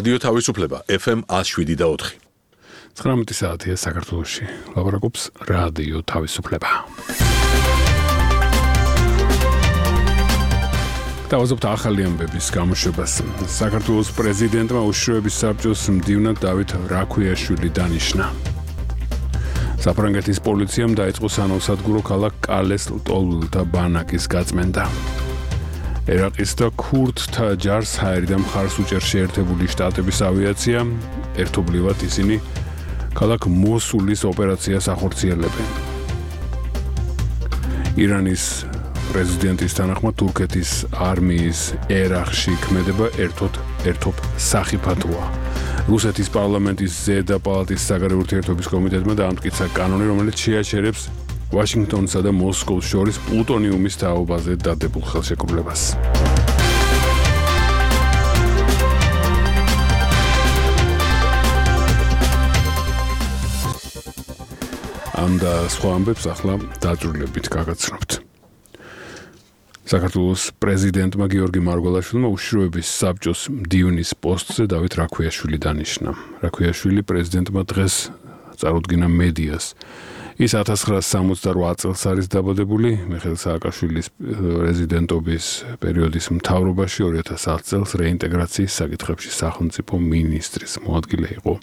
რადიო თავისუფლება FM 107.4. 19 საათია საქართველოში. ლაპარაკობს რადიო თავისუფლება. დავაზობთ ახალი ამბების გამოშვებას. საქართველოს პრეზიდენტმა უშიშროების საბჭოს მდივნად დავით რაქვიაშვილი დანიშნა. საფრანგეთის პოლიციამ დაიწყო სანავსადგურო ქალაქ კალეს ლტოლვილთა ბანაკის გაწმენდა. ერაყის და ქურდთა ჯარს ჰაერიდან მხარს უჭერს შეერთებული შტატების ავიაცია, ერთობლივად ისინი ქალაქ მოსულის ოპერაციას ახორციელებენ. ირანის პრეზიდენტის თანახმად თურქეთის არმიის ერაყში ქმედება ერთობ სახიფათოა. რუსეთის პარლამენტის ზედა პალატის საგარეო ურთიერთობის კომიტეტმა დაამტკიცა კანონი, რომელიც შეაჩერებს ვაშინგტონსა და მოსკოვს შორის პლუტონიუმის თაობაზე დადებულ ხელშეკრულებას. ამ და სხვა ამბებს ახლა დაძრულებით გაგაცნობთ. საქართველოს პრეზიდენტმა გიორგი მარგველაშვილმა უშიშროების საბჭოს მდივნის პოსტზე დავით რაქვიაშვილი დანიშნა. რაქვიაშვილი პრეზიდენტმა დღეს წარუდგინა მედიას. ის 1968 წელს არის დაბადებული, მიხეილ სააკაშვილის პრეზიდენტობის პერიოდის მთავრობაში 2010 წელს რეინტეგრაციის საკითხებში სახელმწიფო მინისტრის მოადგილე იყო.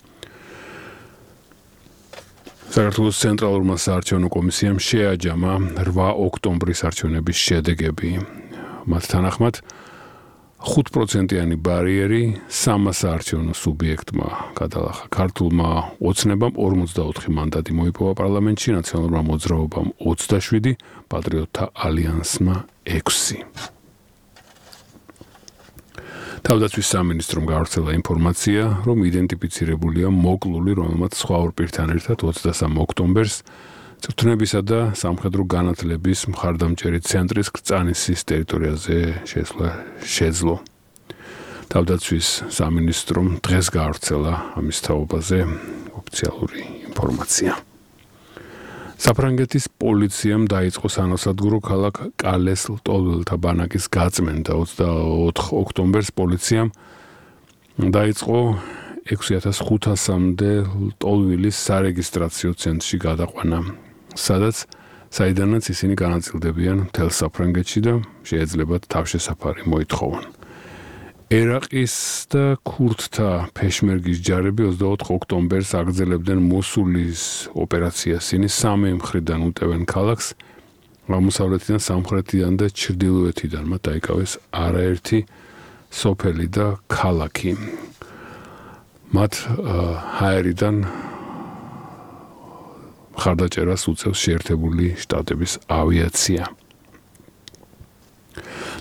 საქართველოს ცენტრალურმა საარჩევნო კომისიამ შეაჯამა 8 ოქტომბრის არჩევნების შედეგები. მათ თანახმად 5%-იანი ბარიერი 300 საარჩევნო სუბიექტმა გადალახა. ქართულმა ოცნებამ 44 მანდატი მოიპოვა პარლამენტში, ნაციონალურმა მოძრაობამ 27, პატრიოტთა ალიანსმა 6. თავდაცვის სამინისტრომ გავრცელა ინფორმაცია, რომ იდენტიფიცირებულია მოკლული, რომელმაც სხვა ორ პირთან ერთად 23 ოქტომბერს წვრთნებისა და სამხედრო განათლების მხარდამჭერი ცენტრის კრწანისის ტერიტორიაზე შეძლო. თავდაცვის სამინისტრომ დღეს გავრცელა ამის თაობაზე ოფიციალური ინფორმაცია. საფრანგეთის პოლიციამ დაიწყო სანავსადგურო ქალაქ კალეს ლტოლვილთა ბანაკის გაწმენდა. 24 ოქტომბერს პოლიციამ დაიწყო 6500-მდე ლტოლვილის სარეგისტრაციო ცენტრში გადაყვანა, საიდანაც ისინი განაწილდებიან მთელ საფრანგეთში და შეეძლებათ თავშესაფარი მოითხოვონ. ერაყის და ქურდთა ფეშმერგის ჯარები 24 ოქტომბერს აგრძელებდნენ მოსულის ოპერაციას. ისინი სამი მხრიდან უტევენ ქალაქს, აღმოსავლეთიდან, სამხრეთიდან და ჩრდილოეთიდან. მათ დაიკავეს არაერთი სოფელი და ქალაქი. მათ ჰაერიდან მხარდაჭერას უწევს შეერთებული შტატების ავიაცია.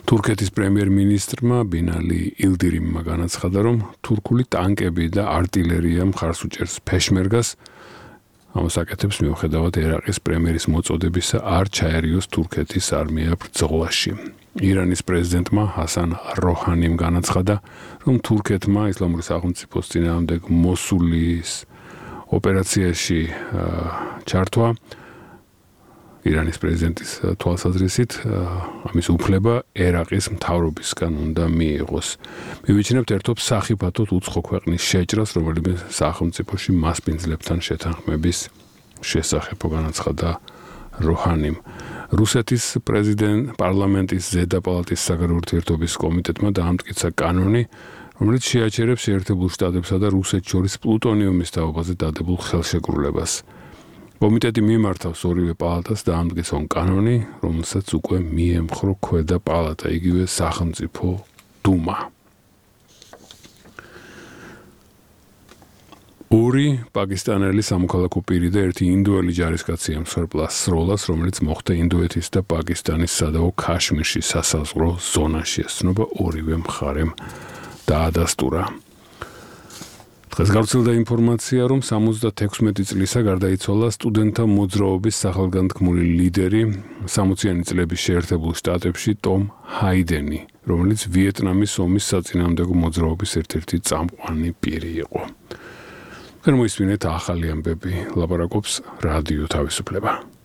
თურქეთის პრემიერ-მინისტრმა ბინალი ილდირიმმა განაცხადა, რომ თურქული ტანკები და არტილერია მხარს უჭერს ფეშმერგას. ამას აკეთებს მიუხედავად ერაყის პრემიერის მოწოდებისა არ ჩაერიოს თურქეთის არმია ბრძოლაში. ირანის პრეზიდენტმა ჰასან როჰანიმ განაცხადა, რომ თურქეთმა ისლამური სახელმწიფოს წინააღმდეგ მოსულის ოპერაციაში ჩართვა ირანის პრეზიდენტის თვალსაზრისით ამის უფლება ერაყის მთავრობისგან უნდა მიიღოს. მივიჩნევთ ერთობ სახიფათოდ უცხო ქვეყნის შეჭრას, რომელიმე სახელმწიფოში მასპინძლებთან შეთანხმების შესახებ განაცხადა როჰანიმ. რუსეთის პარლამენტის ზედა პალატის საგარეო ურთიერთობის კომიტეტმა დაამტკიცა კანონი, რომელიც შეაჩერებს შეერთებულ შტატებსა და რუსეთს შორის პლუტონიუმის თაობაზე დადებულ ხელშეკრულებას. კომიტეტი მიმართავს ორივე პალატას დაამტკიცონ კანონი, რომელსაც უკვე მიემხრო ქვედა პალატა, იგივე სახელმწიფო დუმა. ორი პაკისტანელი სამოქალაქო პირი და ერთი ინდოელი ჯარისკაცი ემსხვერპლა სროლას, რომელიც მოხდა ინდოეთის და პაკისტანის სადავო ქაშმირში სასაზღვრო ზონაში. ესწრება ორივე მხარემ დაადასტურა. დღეს გავრცელდა ინფორმაცია, რომ 76 წლისა გარდაიცვალა სტუდენტთა მოძრაობის სახელგანთქმული ლიდერი 60-იანი წლების შეერთებულ შტატებში ტომ ჰაიდენი, რომელიც ვიეტნამის ომის საწინააღმდეგო მოძრაობის ერთ-ერთი წამყვანი პირი იყო. მოისმინეთ ახალი ამბები, ლაპარაკობს რადიო თავისუფლება.